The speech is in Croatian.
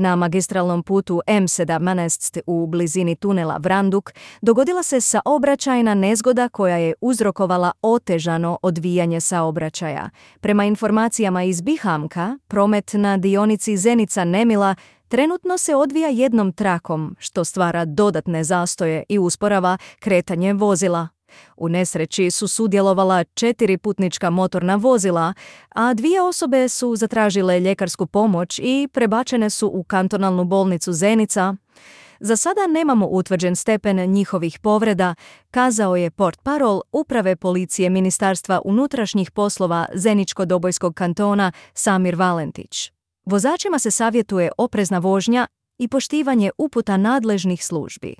Na magistralnom putu M17 u blizini tunela Vranduk dogodila se saobraćajna nezgoda koja je uzrokovala otežano odvijanje saobraćaja. Prema informacijama iz Bihamka, promet na dionici Zenica-Nemila trenutno se odvija jednom trakom, što stvara dodatne zastoje i usporava kretanje vozila. U nesreći su sudjelovala 4 putnička motorna vozila, a 2 osobe su zatražile ljekarsku pomoć i prebačene su u kantonalnu bolnicu Zenica. Za sada nemamo utvrđen stepen njihovih povreda, kazao je portparol Uprave policije Ministarstva unutrašnjih poslova Zeničko-Dobojskog kantona Samir Valentić. Vozačima se savjetuje oprezna vožnja i poštivanje uputa nadležnih službi.